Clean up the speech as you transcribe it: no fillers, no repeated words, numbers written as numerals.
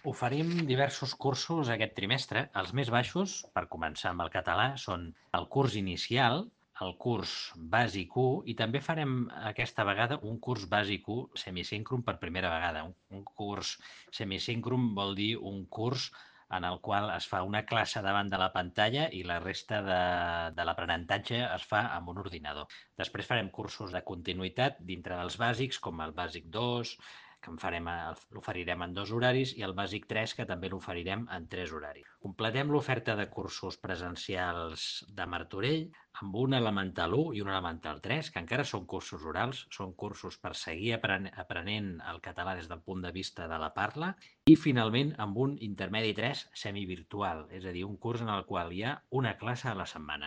Oferim diversos cursos aquest trimestre. Els més baixos, per començar amb el català, són el curs inicial, el curs bàsic 1 i també farem aquesta vegada un curs bàsic 1 semisíncron per primera vegada. Un curs semisíncron vol dir un curs en el qual es fa una classe davant de la pantalla i la resta de l'aprenentatge es fa amb un ordinador. Després farem cursos de continuïtat dintre dels bàsics, com el bàsic 2, que l'oferirem en 2 horaris, i el bàsic 3, que també l'oferirem en 3 horaris. Completem l'oferta de cursos presencials de Martorell amb un elemental 1 i un elemental 3, que encara són cursos orals, són cursos per seguir aprenent el català des del punt de vista de la parla, i finalment amb un intermedi 3 semivirtual, és a dir, un curs en el qual hi ha una classe a la setmana.